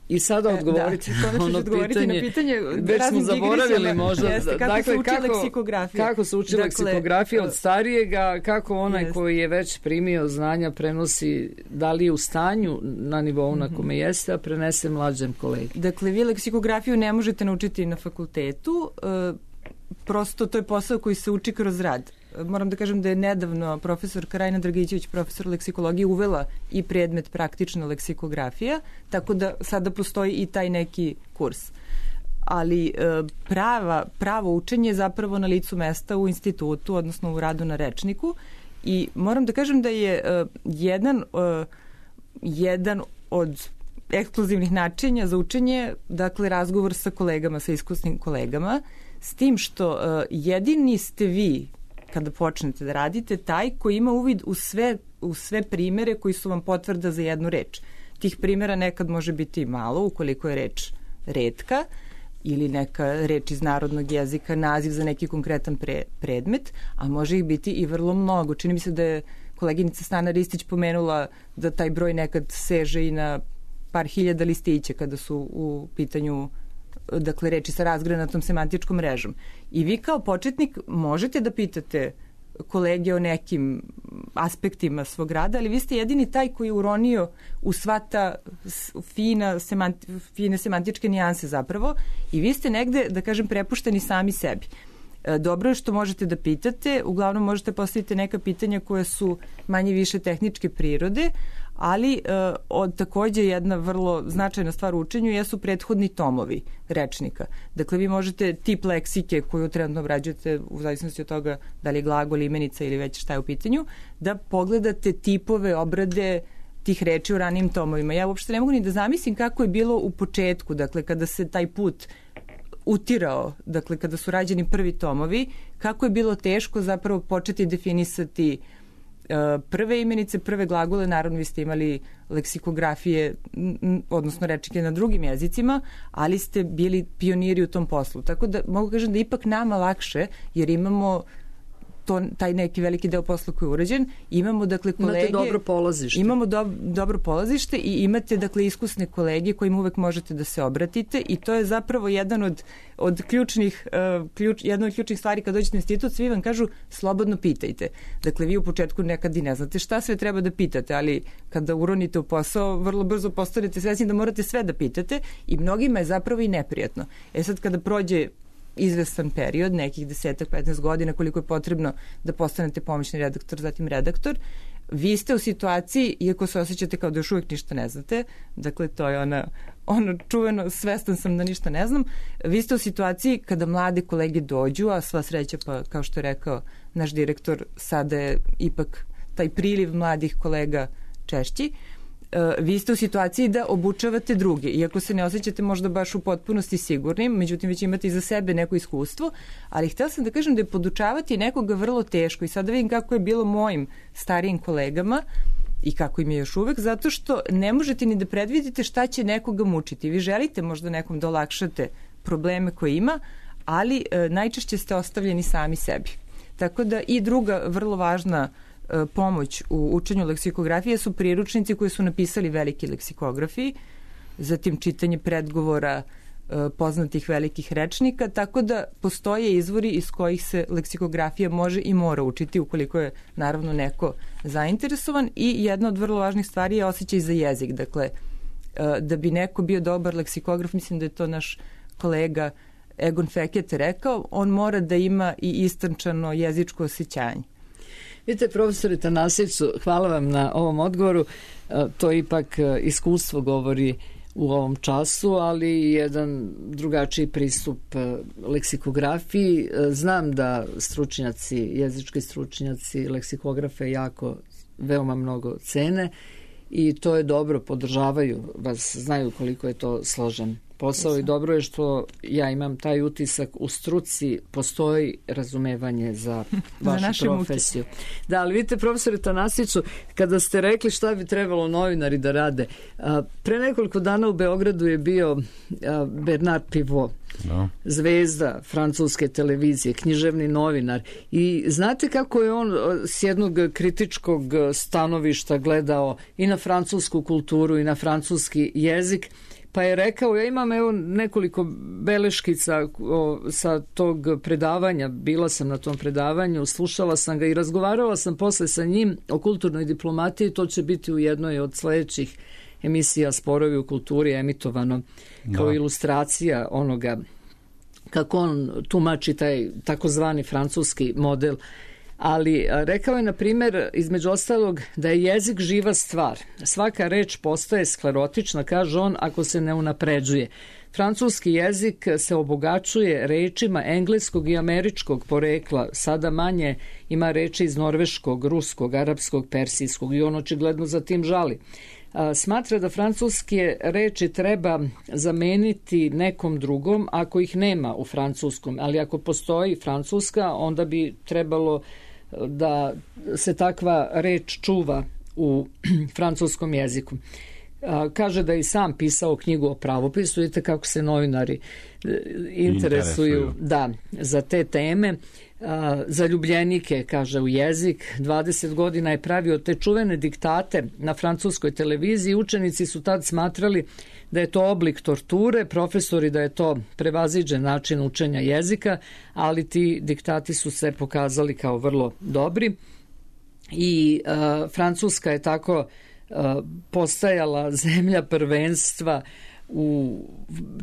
I sada odgovoriti e, da, ono pitanje, na pitanje već smo zaboravili možda. Jeste, kako dakle, se uči kako, leksikografija. Kako se uči dakle, leksikografija od starijega, kako onaj jest. koji je već primio znanja prenosi, da li je u stanju na nivou na kome jeste, a prenese mlađem kolegi. Dakle, vi leksikografiju ne možete naučiti na fakultetu, prosto to je posao koji se uči kroz rad. Moram da kažem da je nedavno profesor Karajna Dragićević, profesor leksikologije, uvela i predmet praktična leksikografija, tako da sada postoji i taj neki kurs. Ali prava, pravo učenje je zapravo na licu mesta u institutu, odnosno u radu na rečniku. I moram da kažem da je jedan, jedan od ekskluzivnih načinja za učenje, dakle, razgovor sa kolegama, sa iskusnim kolegama, s tim što jedini ste vi kada počnete da radite, taj koji ima uvid u sve, u sve primere koji su vam potvrda za jednu reč. Tih primjera nekad može biti malo, ukoliko je reč retka ili neka reč iz narodnog jezika, naziv za neki konkretan pre, predmet, a može ih biti i vrlo mnogo. Čini mi se da je koleginica Stana Ristić pomenula da taj broj nekad seže i na par hiljada listića kada su u pitanju, dakle, reči sa razgranatom semantičkom mrežom. I vi kao početnik možete da pitate kolege o nekim aspektima svog rada, ali vi ste jedini taj koji je uronio u sva ta fina, semanti, fine semantičke nijanse zapravo i vi ste negde, da kažem, prepušteni sami sebi. Dobro je što možete da pitate, uglavnom možete postaviti neka pitanja koja su manje više tehničke prirode, ali uh, od, takođe jedna vrlo značajna stvar u učenju jesu prethodni tomovi rečnika. Dakle, vi možete tip leksike koju trenutno obrađujete u zavisnosti od toga da li je glagol, imenica ili već šta je u pitanju, da pogledate tipove obrade tih reči u ranijim tomovima. Ja uopšte ne mogu ni da zamislim kako je bilo u početku, dakle, kada se taj put utirao, dakle, kada su rađeni prvi tomovi, kako je bilo teško zapravo početi definisati prve imenice, prve glagole. Naravno, vi ste imali leksikografije, odnosno rečnike na drugim jezicima, ali ste bili pioniri u tom poslu. Tako da mogu kažem da ipak nama lakše, jer imamo to, taj neki veliki deo posla koji je urađen. Imamo, dakle, kolege... Imate dobro polazište. Imamo do, dobro polazište i imate, dakle, iskusne kolege kojim uvek možete da se obratite i to je zapravo jedan od, od ključnih, uh, ključ, jedna od ključnih stvari kad dođete na institut, svi vam kažu slobodno pitajte. Dakle, vi u početku nekad i ne znate šta sve treba da pitate, ali kada uronite u posao, vrlo brzo postanete svesni da morate sve da pitate i mnogima je zapravo i neprijatno. E sad, kada prođe izvestan period, nekih desetak, petnaest godina, koliko je potrebno da postanete pomoćni redaktor, zatim redaktor, vi ste u situaciji, iako se osjećate kao da još uvijek ništa ne znate, dakle to je ona, ono čuveno, svestan sam da ništa ne znam, vi ste u situaciji kada mlade kolege dođu, a sva sreća, pa kao što je rekao naš direktor, sada je ipak taj priliv mladih kolega češći, vi ste u situaciji da obučavate druge, iako se ne osjećate možda baš u potpunosti sigurnim, međutim već imate iza sebe neko iskustvo, ali htjela sam da kažem da je podučavati nekoga vrlo teško i sada vidim kako je bilo mojim starijim kolegama i kako im je još uvek, zato što ne možete ni da predvidite šta će nekoga mučiti. Vi želite možda nekom da olakšate probleme koje ima, ali e, najčešće ste ostavljeni sami sebi. Tako da i druga vrlo važna pomoć u učenju leksikografije su priručnici koji su napisali veliki leksikografi, zatim čitanje predgovora poznatih velikih rečnika, tako da postoje izvori iz kojih se leksikografija može i mora učiti ukoliko je naravno neko zainteresovan i jedna od vrlo važnih stvari je osjećaj za jezik. Dakle, da bi neko bio dobar leksikograf, mislim da je to naš kolega Egon Fekete rekao, on mora da ima i istančano jezičko osjećanje. Vidite, profesore Tanasiću, hvala vam na ovom odgovoru. To ipak iskustvo govori u ovom času, ali jedan drugačiji pristup leksikografiji. Znam da stručnjaci, jezički stručnjaci, leksikografe jako veoma mnogo cene i to je dobro, podržavaju vas, znaju koliko je to složen posao i dobro je što ja imam taj utisak u struci postoji razumevanje za vašu za profesiju. Muke. Da, ali vidite, profesore Tanasiću, kada ste rekli šta bi trebalo novinari da rade, pre nekoliko dana u Beogradu je bio Bernard Pivot, no. Zvezda francuske televizije, književni novinar i znate kako je on s jednog kritičkog stanovišta gledao i na francusku kulturu i na francuski jezik. Pa je rekao, ja imam evo nekoliko beleškica o, sa tog predavanja, bila sam na tom predavanju, slušala sam ga i razgovarala sam posle sa njim o kulturnoj diplomatiji, to će biti u jednoj od sledećih emisija Sporovi u kulturi emitovano kao da. Ilustracija onoga kako on tumači taj takozvani francuski model. Ali rekao je, na primjer, između ostalog, da je jezik živa stvar. Svaka reč postaje sklerotična, kaže on, ako se ne unapređuje. Francuski jezik se obogaćuje rečima engleskog i američkog porekla. Sada manje ima reči iz norveškog, ruskog, arapskog, persijskog i on očigledno za tim žali. Smatra da francuske reči treba zameniti nekom drugom ako ih nema u francuskom, ali ako postoji francuska, onda bi trebalo da se takva reč čuva u francuskom jeziku. Kaže da je i sam pisao knjigu o pravopisu, vidite kako se novinari interesuju, interesuju. Da, za te teme. Zaljubljenike, kaže, u jezik. dvadeset godina je pravio te čuvene diktate na francuskoj televiziji. Učenici su tad smatrali da je to oblik torture, profesori da je to prevaziđen način učenja jezika, ali ti diktati su se pokazali kao vrlo dobri i uh, Francuska je tako uh, postajala zemlja prvenstva u,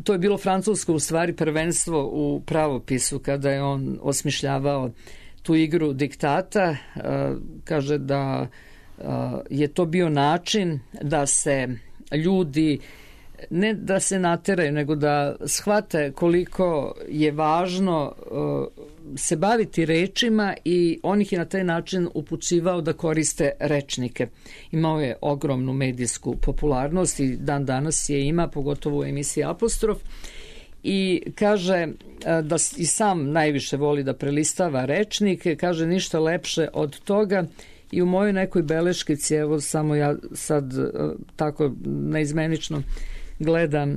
to je bilo francusko u stvari prvenstvo u pravopisu kada je on osmišljavao tu igru diktata. Uh, kaže da je to bio način da se ljudi ne da se nateraju, nego da shvate koliko je važno se baviti rečima, i on ih je na taj način upućivao da koriste rečnike. Imao je ogromnu medijsku popularnost i dan danas je ima, pogotovo u emisiji Apostrof, i kaže da i sam najviše voli da prelistava rečnike, kaže ništa lepše od toga. I u mojoj nekoj beleškici, evo samo ja sad tako neizmenično gledam,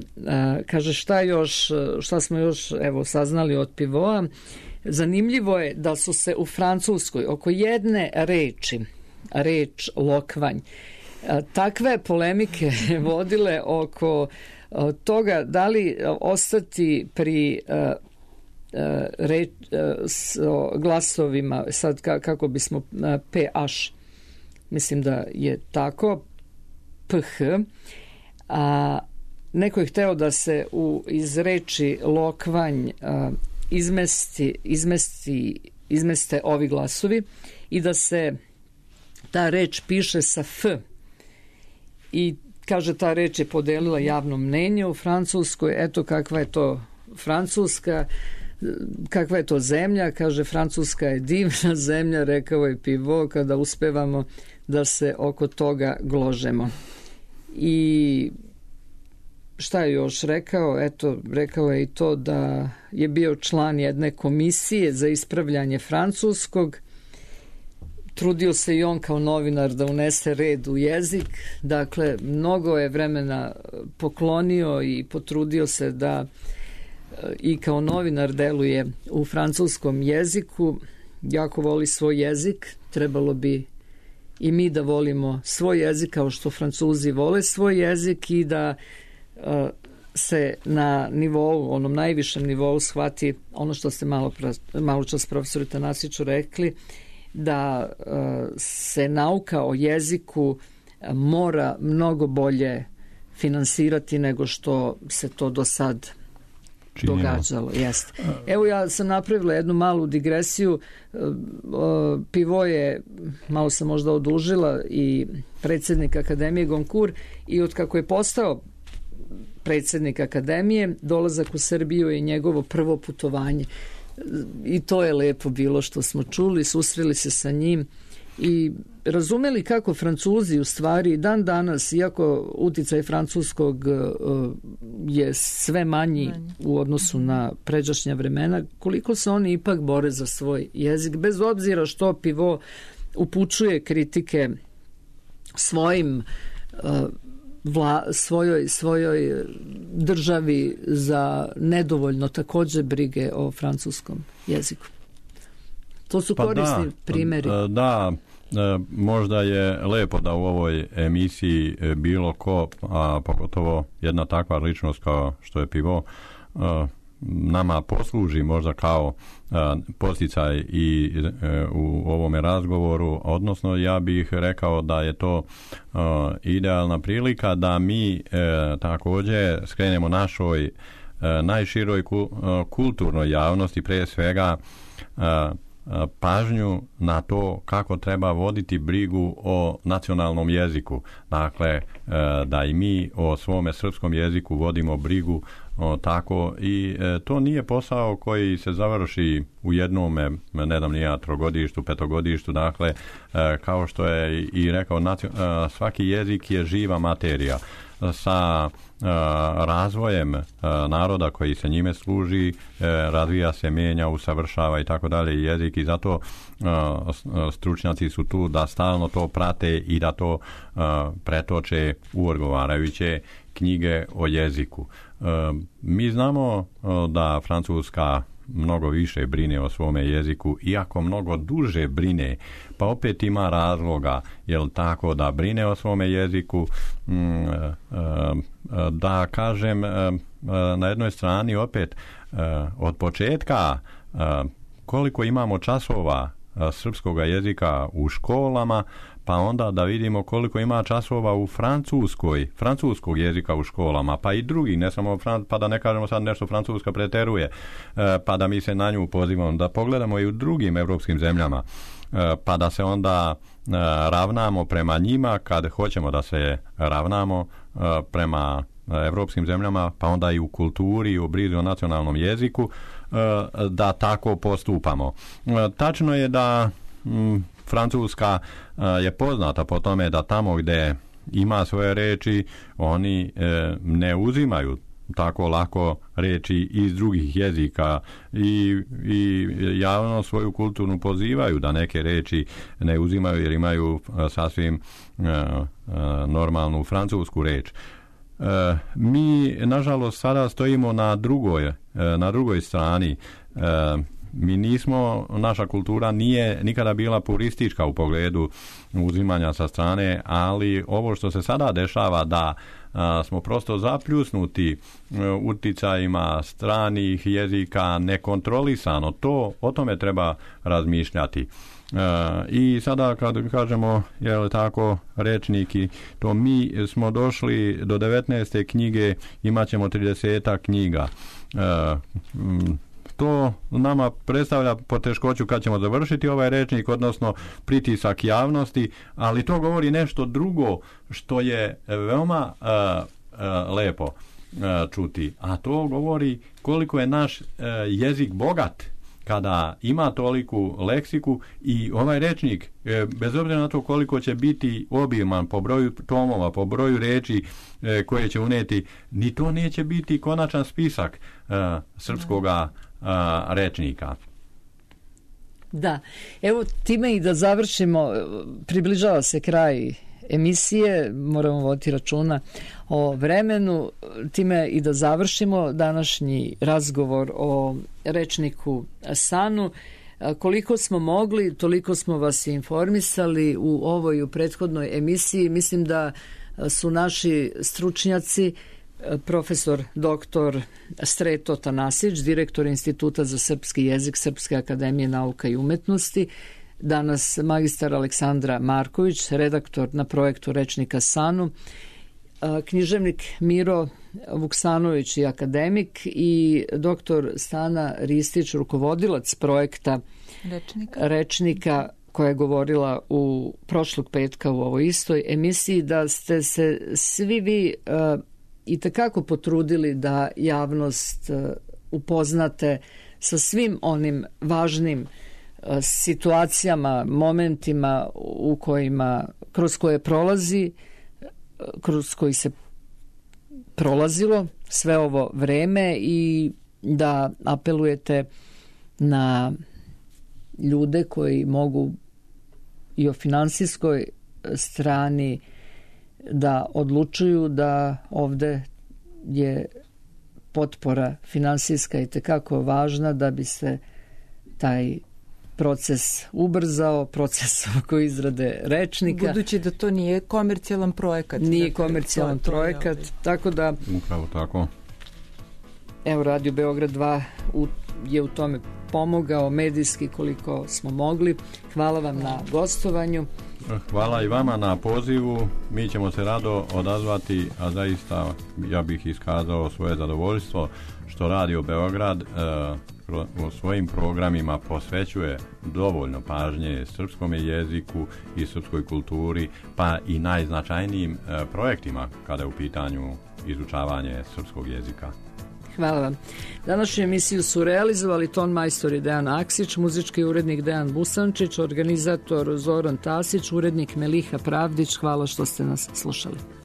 kaže šta još, šta smo još evo saznali od Pivoa. Zanimljivo je da su se u Francuskoj oko jedne reči, reč lokvanj, takve polemike vodile oko toga da li ostati pri reč, s glasovima, sad kako bismo ph, mislim da je tako, ph, a neko je hteo da se u, iz reči lokvanj a, izmesti, izmesti, izmeste ovi glasovi i da se ta reč piše sa f, i kaže ta reč je podelila javno mnenje u Francuskoj. Eto kakva je to Francuska, kakva je to zemlja. Kaže Francuska je divna zemlja, rekao je Pivo, kada uspevamo da se oko toga gložemo. I šta je još rekao? Eto, rekao je i to da je bio član jedne komisije za ispravljanje francuskog. Trudio se i on kao novinar da unese red u jezik. Dakle, mnogo je vremena poklonio i potrudio se da i kao novinar deluje u francuskom jeziku. Jako voli svoj jezik. Trebalo bi i mi da volimo svoj jezik kao što Francuzi vole svoj jezik, i da uh, se na nivou, onom najvišem nivou shvati ono što ste malo, malo čas profesoru Tanasiću rekli, da uh, se nauka o jeziku mora mnogo bolje finansirati nego što se to do sad činjeno događalo. Jeste. Evo, ja sam napravila jednu malu digresiju. Pivo je, malo sam možda odužila, i predsjednik Akademije Goncourt, i od kako je postao predsjednik Akademije, dolazak u Srbiju je njegovo prvo putovanje. I to je lepo bilo što smo čuli, susreli se sa njim i razumeli kako Francuzi u stvari dan danas, iako uticaj francuskog je sve manji u odnosu na pređašnja vremena, koliko se oni ipak bore za svoj jezik, bez obzira što Pivo upućuje kritike svojim vla, svojoj, svojoj državi za nedovoljno također brige o francuskom jeziku. To su korisni pa da, primjeri. Da, možda je lepo da u ovoj emisiji bilo ko, a pogotovo jedna takva ličnost kao što je Pivo, nama posluži možda kao posticaj i u ovome razgovoru, odnosno ja bih rekao da je to idealna prilika da mi također skrenemo našoj najširoj kulturnoj javnosti, prije svega pažnju na to kako treba voditi brigu o nacionalnom jeziku. Dakle, da i mi o svome srpskom jeziku vodimo brigu o, tako, i e, to nije posao koji se završi u jednome, ne znam nija, trogodištu, petogodištu. Dakle, e, kao što je i rekao, nacio, e, svaki jezik je živa materija. Sa e, razvojem e, naroda koji se njime služi, e, razvija se, mijenja, usavršava i tako dalje jezik, i zato e, stručnjaci su tu da stalno to prate i da to e, pretoče u odgovarajuće knjige o jeziku. E, mi znamo e, da Francuska mnogo više brine o svome jeziku, iako mnogo duže brine, pa opet ima razloga, jel tako, da brine o svome jeziku. Mm, e, da kažem, e, na jednoj strani opet e, od početka e, koliko imamo časova e, srpskog jezika u školama, pa onda da vidimo koliko ima časova u francuskoj, francuskog jezika u školama, pa i drugi, ne samo fran, pa da ne kažemo sad nešto Francuska preteruje, pa da mi se na nju pozivamo, da pogledamo i u drugim evropskim zemljama. pa da se onda ravnamo prema njima kad hoćemo da se ravnamo prema evropskim zemljama, pa onda i u kulturi i u brizi o nacionalnom jeziku, da tako postupamo. Tačno je da Francuska je poznata po tome da tamo gdje ima svoje reči, oni ne uzimaju tako lako reči iz drugih jezika i, i javno svoju kulturnu pozivaju da neke reči ne uzimaju jer imaju sasvim uh, uh, normalnu francusku reč. Uh, mi nažalost sada stojimo na drugoj, uh, na drugoj strani. Uh, mi nismo, naša kultura nije nikada bila puristička u pogledu uzimanja sa strane, ali ovo što se sada dešava da a, smo prosto zapljusnuti a, uticajima stranih jezika nekontrolisano, to o tome treba razmišljati. A, I sada kad kažemo, je li tako, rečniki, to mi smo došli do devetnaeste knjige, imat ćemo trideset knjiga. A, m, To nama predstavlja poteškoću kad ćemo završiti ovaj rečnik, odnosno pritisak javnosti, ali to govori nešto drugo što je veoma uh, uh, lepo uh, čuti, a to govori koliko je naš uh, jezik bogat kada ima toliku leksiku i ovaj rečnik, bez obzira na to koliko će biti obiman po broju tomova, po broju reči koje će uneti, ni to neće biti konačan spisak uh, srpskoga uh, rečnika. Da, evo time i da završimo, približava se kraj emisije, moramo voditi računa o vremenu, time i da završimo današnji razgovor o rečniku Sanu. Koliko smo mogli, toliko smo vas informisali u ovoj u prethodnoj emisiji. Mislim da su naši stručnjaci, profesor doktor Sreto Tanasić, direktor Instituta za srpski jezik Srpske akademije nauka i umetnosti, danas magistar Aleksandra Marković, redaktor na projektu Rečnika Sanu, književnik Miro Vuksanović i akademik i doktor Stana Ristić, rukovodilac projekta Rečnika. Rečnika, koja je govorila u prošlog petka u ovoj istoj emisiji, da ste se svi vi uh, i takako potrudili da javnost uh, upoznate sa svim onim važnim uh, situacijama, momentima u kojima, kroz koje prolazi, kroz koji se prolazilo sve ovo vreme i da apelujete na ljude koji mogu i o finansijskoj strani da odlučuju da ovde je potpora finansijska i tekako važna da bi se taj proces ubrzao, proces oko izrade rečnika. Budući da to nije komercijalan projekat. Nije komercijalan projekat, tako da... Upravo tako. Evo, Radio Beograd dva u, je u tome pomogao medijski koliko smo mogli. Hvala vam na gostovanju. Hvala i vama na pozivu. Mi ćemo se rado odazvati, a zaista ja bih iskazao svoje zadovoljstvo što Radio Beograd uh, u svojim programima posvećuje dovoljno pažnje srpskom jeziku i srpskoj kulturi, pa i najznačajnijim uh, projektima kada je u pitanju izučavanje srpskog jezika. Hvala vam. Današnju emisiju su realizovali ton majstor je Dejan Aksić, muzički urednik Dejan Busančić, organizator Zoran Tasić, urednik Meliha Pravdić. Hvala što ste nas slušali.